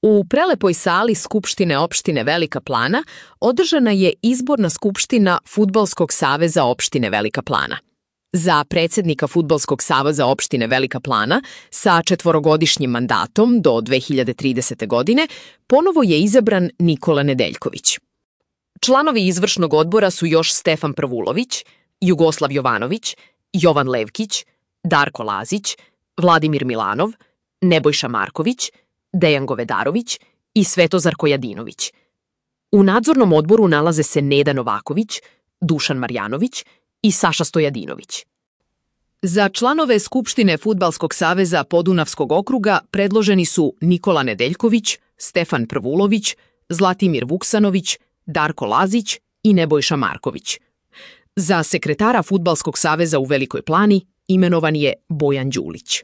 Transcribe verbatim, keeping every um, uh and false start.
U prelepoj sali Skupštine opštine Velika Plana održana je izborna skupština Fudbalskog saveza opštine Velika Plana. Za predsjednika Fudbalskog saveza opštine Velika Plana sa četvorogodišnjim mandatom do dve hiljade tridesete. godine ponovo je izabran Nikola Nedeljković. Članovi izvršnog odbora su još Stefan Prvulović, Jugoslav Jovanović, Jovan Levkić, Darko Lazić, Vladimir Milanov, Nebojša Marković, Dejan Govedarović i Svetozar Kojadinović. U nadzornom odboru nalaze se Neda Novaković, Dušan Marjanović i Saša Stojadinović. Za članove Skupštine Fudbalskog saveza Podunavskog okruga predloženi su Nikola Nedeljković, Stefan Prvulović, Zlatimir Vuksanović, Darko Lazić i Nebojša Marković. Za sekretara Fudbalskog saveza u Velikoj Plani imenovan je Bojan Đulić.